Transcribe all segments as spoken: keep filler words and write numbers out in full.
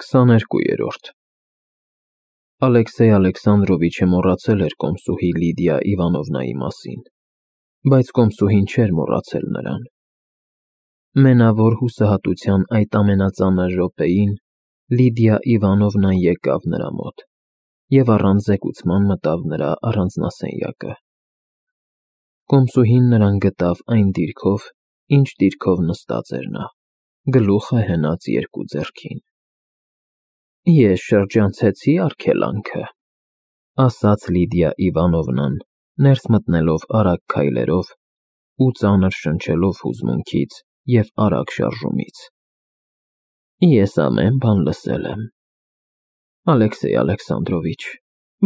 քսաներկուերորդ Ալեքսեյ Ալեքսանդրովիչը մոռացել էր կոմսուհի Լիդիա Իվանովնայի մասին, բայց կոմսուհին չէր մոռացել նրան։ Մենավոր հուսահատության այդ ամենածանր րոպեին Լիդիա Իվանովնան եկավ նրա մոտ և առանց զեկուցման մտավ նրա առանձնասենյակը։ Կոմսուհին նրան գտավ այն դիրքով, ինչ դիրքով նստած էր նա, գլուխը հենած երկու ձեռքին։ Ես շրջանցեցի արգելանքը, ասաց Լիդիա Իվանովնան, ներս մտնելով արագ քայլերով ու ծանր շնչելով հուզմունքից և արագ շարժումից։ Ես ամեն բան լսել եմ։ Ալեքսեյ Ալեքսանդրովիչ,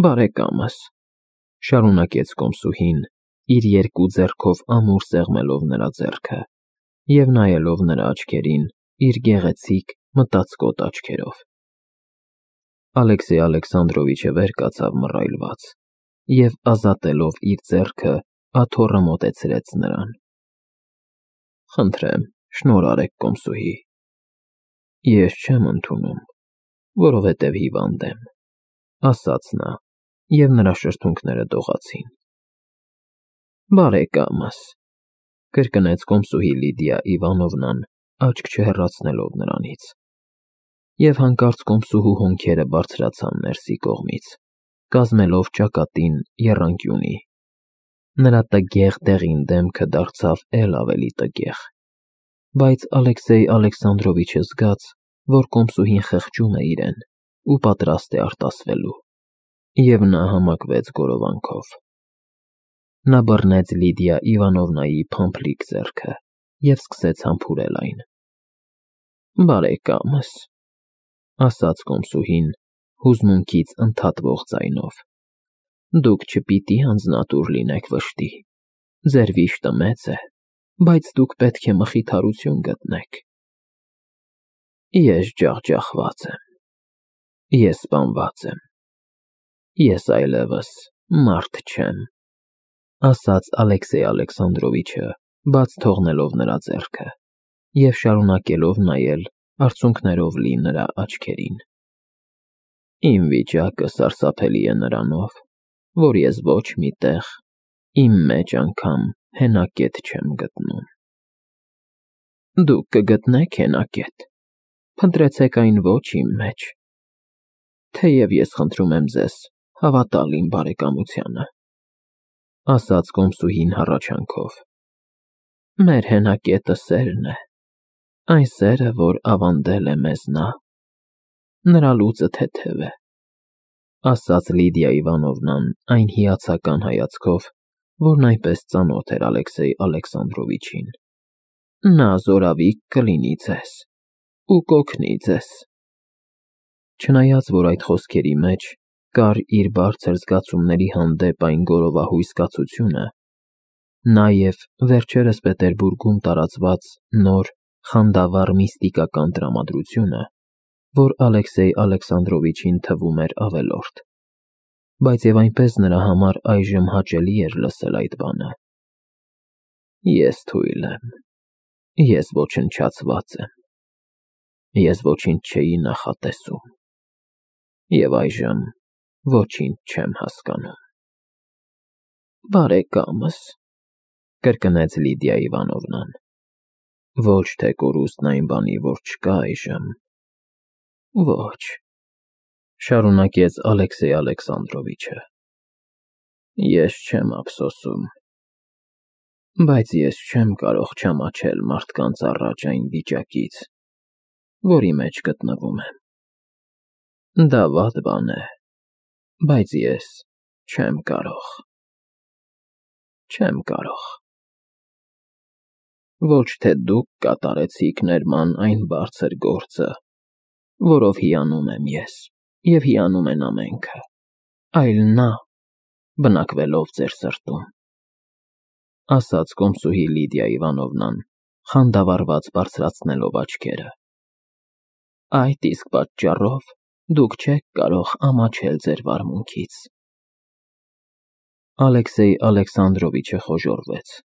բարեկամս, շարունակեց կոմսուհին, իր երկու ձեռքով ամուր սեղմելով նրա ձեռքը և նայելով նրա աչքերին իր գեղեցիկ մտածկոտ աչքերով։ Ալեքսեյ Ալեքսանդրովիչը վեր կացավ մռայլված և ազատելով իր ձեռքը աթոռը մոտեցրեց նրան։ Խնդրեմ, շնորհ արեք կոմսուհի։ Ես չեմ ընդունում, որովհետև հիվանդ եմ, ասաց նա, և նրա շրթունքները դողացին։ Բարեկամս, կրկնեց կոմսուհի Լիդիա Իվանովնան, աչք չհեռացնելով նրանից։ Եվ հանկարծ կոմսուհու հոնքերը բարձրացան ներսի կողմից, կազմելով ճակատին եռանկյունի։ Նրա տգեղ դեղին դեմքը դարձավ էլ ավելի տգեղ, բայց Ալեքսեյ Ալեքսանդրովիչը զգաց, որ կոմսուհին խղճում է իրեն ու պատրաստ է արտասվելու, և նա համակվեց գորովանքով։ Նա բռնեց Լիդիա Իվանովնայի փամփլիկ ձեռքը և սկսեց համբուրել այն։ Բարեկամս, ասաց կոմսուհին հուզմունքից ընդհատվող ձայնով, դուք չպիտի անձնատուր լինեք վշտի, ձեր վիշտը մեծ է, բայց դուք պետք է մխիթարություն գտնեք։ Ես ջախջախված եմ, ես սպանված եմ, ես այլևս մարդ չեմ, ասաց Ալեքսեյ Ալեքսանդրովիչը, բաց թողնելով նրա ձեռքը և շարունակելով նայել արցունքներով լի նրա աչքերին։ Իմ վիճակը սարսափելի է նրանով, որ ես ոչ մի տեղ, իմ մեջ անգամ հենակետ չեմ գտնում։ Դուք կգտնեք հենակետ, փնտրեցեք այն ոչ իմ մեջ, թեև ես խնդրում եմ ձեզ հավատալ իմ բարեկամությանը, ասաց կոմսուհին հառաչանքով։ Մեր հենակետը սերն է, այն սերը, որ ավանդել է մեզ նա։ Նրա լուծը թեթև է, ասաց Լիդիա Իվանովնան այն հիացական հայացքով, որն այնպես ծանոթ էր Ալեքսեյ Ալեքսանդրովիչին։ Նա զորավիք կլինի ձեզ ու կօգնի ձեզ։ Չնայած որ այդ խոսքերի մեջ կար իր բարձր զգացումների հանդեպ այն գորովահույս կացությունը, նաև վերջերս Պետերբուրգում տարածված նոր խանդավառ միստիկական տրամադրությունը, որ Ալեքսեյ Ալեքսանդրովիչին թվում էր ավելորդ, բայց և այնպես նրա համար այժմ հաճելի էր լսել այդ բանը։ Ես թույլ եմ, ես ոչնչացված եմ, ես ոչինչ չէի նախատեսում, և այժմ ոչինչ չեմ հասկանում։ Բարեկամս, կրկնեց Լիդիա Իվանովնան, ոչ թե կորուստն այն բանի, որ չկա այժմ, ոչ, շարունակեց Ալեքսեյ Ալեքսանդրովիչը, ես չեմ ափսոսում, բայց ես չեմ կարող չամաչել մարդկանց առաջ այն վիճակից, որի մեջ գտնվում եմ։ Դա վատ բան է, բայց ես չեմ կարող, չեմ կարող։ Ոչ թե դուք կատարեցիք ներման այն բարձր գործը, որով հիանում եմ ես և հիանում են ամենքը, այլ նա, բնակվելով ձեր սրտում, ասաց կոմսուհի Լիդիա Իվանովնան, խանդավառված բարձրացնելով աչքերը։ Այդ իսկ պատճառով դուք չեք կարող ամաչել ձեր վարմունքից։ Ալեքսեյ Ալեքսանդրովիչը խոժոռվեց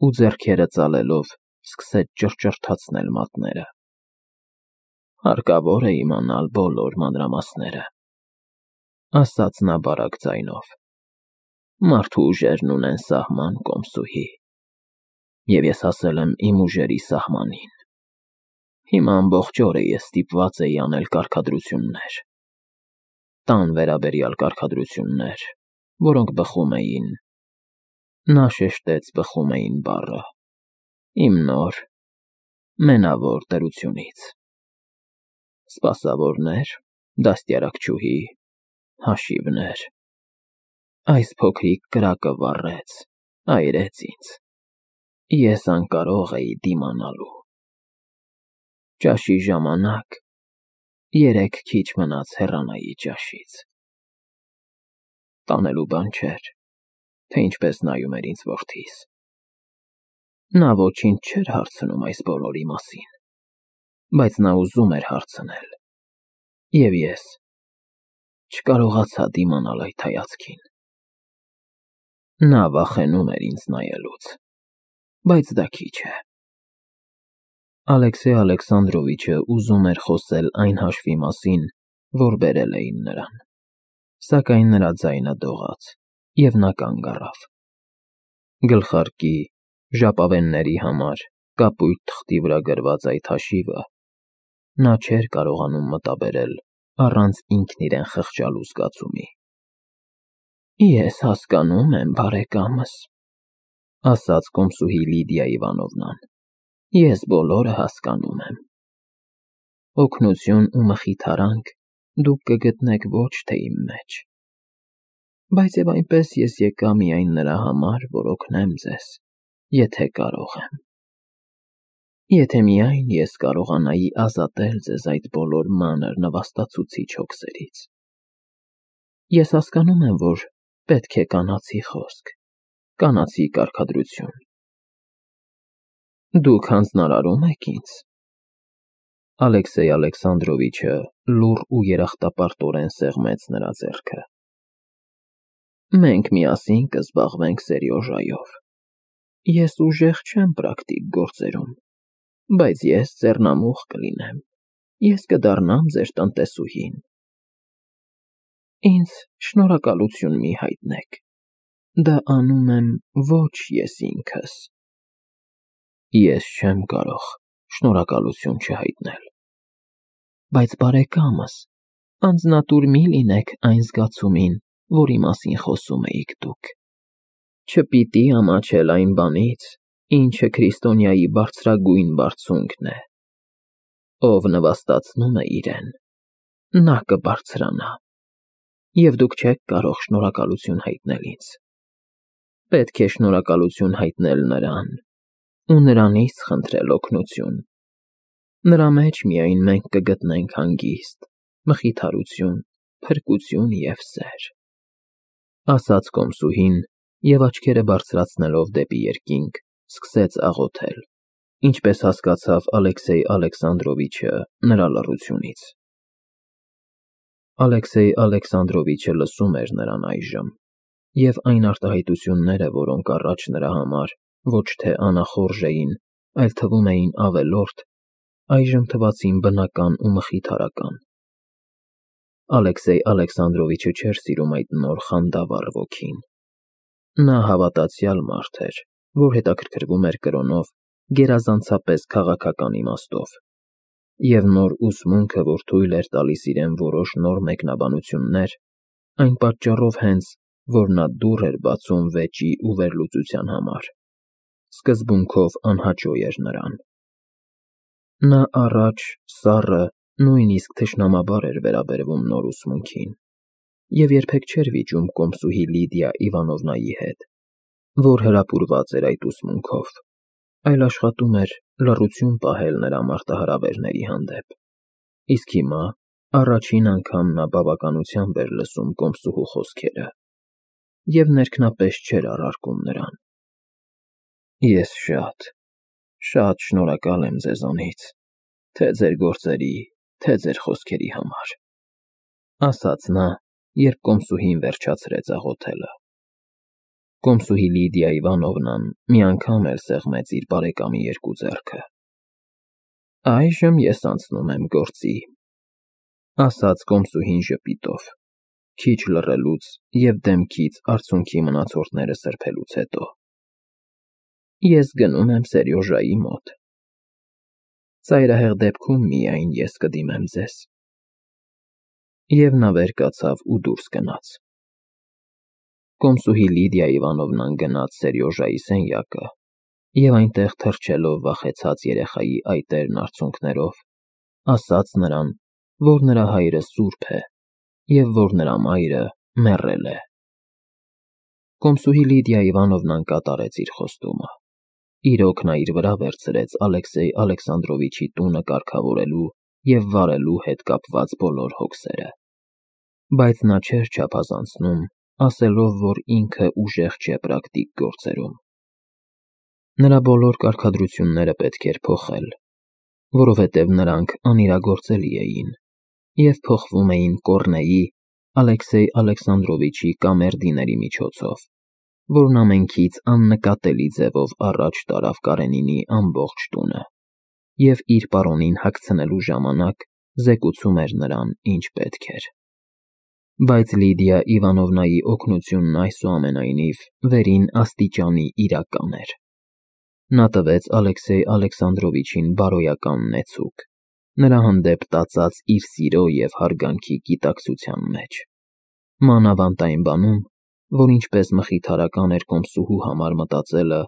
ու ձեռքերը ծալելով սկսեց ճռճռթացնել մատները։ Հարկավոր է իմանալ բոլոր մանրամասները, ասաց նա բարակ ձայնով։ Մարդու ուժերն ունեն սահման, կոմսուհի, և ես հասել եմ իմ ուժերի սահմանին։ Հիմա ամբողջ օրը ես ստիպված էի անել կարգադրություններ, տան վերաբերյալ կարգադրություններ, որոնք բխում էին, նա շեշտեց բխում էին բառը, իմ նոր, մենավոր դրությունից։ Սպասավորներ, դաստիարակչուհի, հաշիվներ։ Այս փոքրիկ կրակը վառեց, այրեց ինձ։ Ես անկարող էի դիմանալու։ Ճաշի ժամանակ երեք քիչ մնաց հեռանայի ճաշից։ Տանելու բան չէր, թե ինչպես նայում էր ինձ որդիս։ Նա ոչինչ չէր հարցնում այս բոլորի մասին, բայց նա ուզում էր հարցնել, և ես չկարողացա դիմանալ այդ հայացքին։ Նա վախենում էր ինձ նայելուց, բայց դա քիչ է։ Ալեքսեյ Ալեքսանդրովիչը ուզում էր խոսել այն հաշվի մասին, որ բերել էին նրան, սակայն նրա ձայնը դողաց, և նա կանգ առավ։ Գլխարկի, ժապավենների համար կապույտ թղթի վրա գրված այդ հաշիվը նա չէր կարողանում մտաբերել առանց ինքն իրեն խղճալու զգացումի։ Ես հասկանում եմ, բարեկամս, ասաց կոմսուհի Լիդիա Իվանովնան, ես բոլորը հասկանում եմ։ Օգնություն ու մխիթարանք դուք կգտնեք ոչ թե իմ մեջ, բայց և այնպես ես եկա միայն նրա համար, որ օգնեմ ձեզ, եթե կարող եմ։ Եթե միայն ես կարողանայի ազատել ձեզ այդ բոլոր մանր նվաստացուցիչ հոգսերից։ Ես հասկանում եմ, որ պետք է կանացի խոսք, կանացի կարգադրություն։ Դուք հանձնարարո՞ւմ եք ինձ։ Ալեքսեյ Ալեքսանդրովիչը լուռ ու երախտապարտորեն սեղմեց նրա ձեռքը։ Մենք միասին կզբաղվենք Սերյոժայով։ Ես ուժեղ չեմ պրակտիկ գործերում, բայց ես ձեռնամուխ կլինեմ, ես կդառնամ ձեր տնտեսուհին։ Ինձ շնորհակալություն մի հայտնեք, դա անում եմ ոչ ես ինքս։ Ես չեմ կարող շնորհակալություն չհայտնել։ Բայց բարեկամս, անձնատուր մի լինեք այն զգացումին, որի մասին խոսում էիք դուք։ Չպիտի ամաչել այն բանից, ինչը քրիստոնյայի բարձրագույն բարձունքն է։ Ով նվաստացնում է իրեն, նա կբարձրանա, և դուք չեք կարող շնորհակալություն հայտնել ինձ։ Պետք է շնորհակալություն հայտնել նրան ու նրանից խնդրել օգնություն։ Նրա մեջ միայն մենք կգտնենք հանգիստ, մխիթարություն, փրկություն և սեր, ասաց կոմսուհին և աչքերը բարձրացնելով դեպի երկինք, սկսեց աղոթել, ինչպես հասկացավ Ալեքսեյ Ալեքսանդրովիչը նրա լռությունից։ Ալեքսեյ Ալեքսանդրովիչը լսում էր նրան այժմ, և այն արտահայտությունները, որոնք առաջ նրա համար ոչ թե անախորժ էին, այլ թվում էին ավելորդ, այժմ թվացին բնական ու մխիթարական։ Ալեքսեյ Ալեքսանդրովիչը չէր սիրում այդ նոր խանդավառ ոգին։ Նա հավատացյալ մարդ էր, որ հետաքրքրվում էր կրոնով գերազանցապես քաղաքական իմաստով, և նոր ուսմունքը, որ թույլ էր տալիս իրեն որոշ նոր մեկնաբանություններ, այն պատճառով հենց, որ նա դուռ էր բացում վեճի ու վերլուծության համար, սկզբունքով անհաճո էր նրան։ Նա առաջ սառը, նույնիսկ թշնամաբար էր վերաբերվում նոր ուսմունքին, և երբեք չէր վիճում կոմսուհի Լիդիա Իվանովնայի հետ, որ հրապուրված էր այդ ուսմունքով, այլ աշխատում էր լռություն պահել նրա մարտահրավերների հանդեպ, իսկ հիմա առաջին անգամ նա բավականությամբ էր լսում կոմսուհու խոսքերը և ներքնապես չէր առարկում նրան։ Ես շատ, շատ շնորհակալ եմ ձեզանից, թե ձեր գործերի, թե ձեր խոսքերի համար, ասաց նա, երբ կոմսուհին վերջացրեց աղոթելը։ Կոմսուհի Լիդիա Իվանովնան մի անգամ էլ սեղմեց իր բարեկամի երկու ձեռքը։ Այժմ ես անցնում եմ գործի, ասաց կոմսուհին ժպիտով, քիչ լռելուց և դեմքից արցունքի մնացորդները սրբելուց հետո։ Ես գնում եմ Սերյոժայի մոտ։ Ծայրահեղ դեպքում միայն ես կդիմեմ ձեզ։ Եվ նա վեր կացավ ու դուրս գնաց։ Կոմսուհի Լիդիա Իվանովնան գնաց Սերյոժայի սենյակը և այնտեղ թրջելով վախեցած երեխայի այտերն արցունքներով, ասաց նրան, որ նրա հայրը սուրբ է և որ նրա մայրը մեռել է։ Կոմսուհի Լիդիա Իվանովնան կատարեց իր խոստումը։ Իրոք նա իր վրա վերցրեց Ալեքսեյ Ալեքսանդրովիչի տունը կարգավորելու և վարելու հետ կապված բոլոր հոգսերը։ Բայց նա չէր չափազանցնում, ասելով, որ ինքը ուժեղ չէ պրակտիկ գործերում։ Նրա բոլոր կարգադրությունները պետք էր փոխել, որովհետև նրանք անիրագործելի էին և փոխվում էին Կոռնեյի, Ալեքսեյ Ալեքսանդրովիչի կամերդիների միջոցով, որն ամենքից աննկատելի ձևով առաջ տարավ Կարենինի ամբողջ տունը և իր պարոնին հագցնելու ժամանակ զեկուցում էր նրան, ինչ պետք էր։ Բայց Լիդիա Իվանովնայի օգնությունն այսուամենայնիվ վերին աստիճանի իրական էր։ Նա տվեց Ալեքսեյ Ալեքսանդրովիչին բարոյական նեցուկ, նրա հանդեպ տածած իր սիրո և հարգանքի գիտակցության մեջ, մանավանդ այն բանում, որ ինչպես մխիթարական էր կոմսուհու համար մտածելը,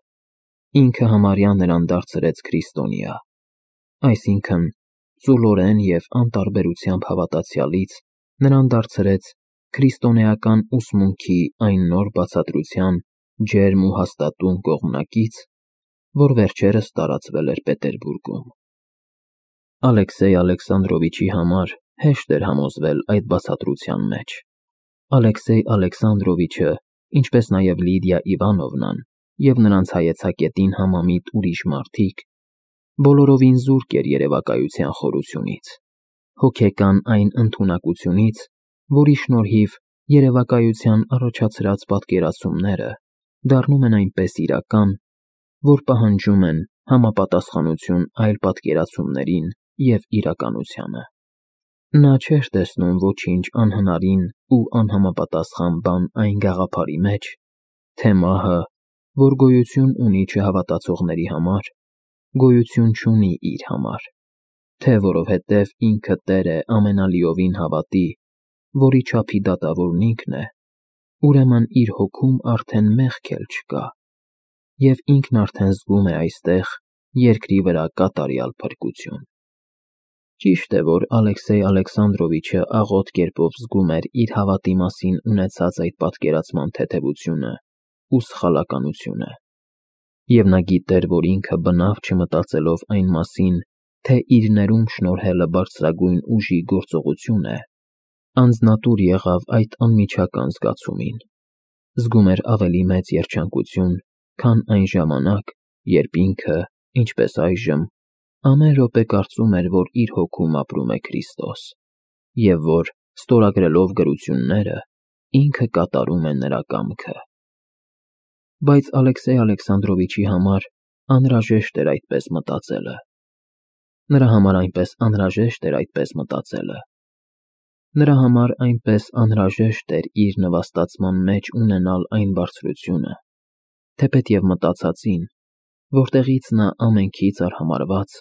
ինքը համարյա նրան դարձրեց քրիստոնյա, այսինքն՝ ծուլորեն և անտարբերությամբ հավատացյալից նրան դարձրեց քրիստոնեական ուսմունքի այն նոր բացատրության ջերմ ու հաստատուն կողմնակից, որ վերջերս տարածվել էր Պետերբուրգում։ Ալեքսեյ Ալեքսանդրովիչի համար հեշտ էր համոզվել այդ բացատրության մեջ։ Ալեքսեյ Ալեքսանդրովիչը, ինչպես նաև Լիդիա Իվանովնան և նրանց հայեցակետին համամիտ ուրիշ մարդիկ, բոլորովին զուրկ էր երևակայության խորությունից, հոգեկան այն ընդունակությունից, որի շնորհիվ երևակայության առաջացրած պատկերացումները դառնում են այնպես իրական, որ պահանջում են համապատասխանություն այլ պատկերացումներին և իրականությանը։ Նա չէր տեսնում ոչինչ անհնարին ու անհամապատասխան բան այն գաղափարի մեջ, թե մահը, որ գոյություն ունի չհավատացողների համար, գոյություն չունի իր համար, թե որովհետև ինքը տեր է ամենալիովին հավատի, որի չափի դատավորն ինքն է, ուրեմն իր հոգում արդեն մեղք էլ չկա, և ինքն արդեն զգում է այստեղ, երկրի վրա կատարյալ փրկություն։ Ճիշտ է, որ Ալեքսեյ Ալեքսանդրովիչը աղոտ կերպով զգում էր իր հավատի մասին ունեցած այդ պատկերացման թեթևությունը ու սխալականությունը, և նա գիտեր, որ ինքը բնավ չմտածելով այն մասին, թե իր ներում շնորհելը բարձրագույն ուժի գործողություն է, անձնատուր եղավ այդ անմիջական զգացումին, զգում էր ավելի մեծ երջանկություն, քան այն ժամանակ, երբ ինքը, ինչպես այժմ, ամեն րոպե կարծում էր, որ իր հոգում ապրում է Քրիստոս, և որ, ստորագրելով գրությունները, ինքը կատարում է նրա կամքը։ Բայց Ալեքսեյ Ալեքսանդրովիչի համար անհրաժեշտ էր այդպես մտածելը։ Նրա համար այնպես անհրաժեշտ էր այդպես մտածելը։ Նրա համար այնպես անհրաժեշտ էր իր նվաստացման մեջ ունենալ այն բարձրությունը, թեպետև մտածածին, որտեղից նա ամենքից արհամարհված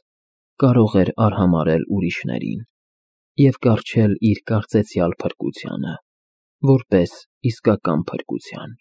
կարող էր արհամարհել ուրիշներին և կառչել իր կարծեցյալ փրկությանը, որպես իսկական փրկության։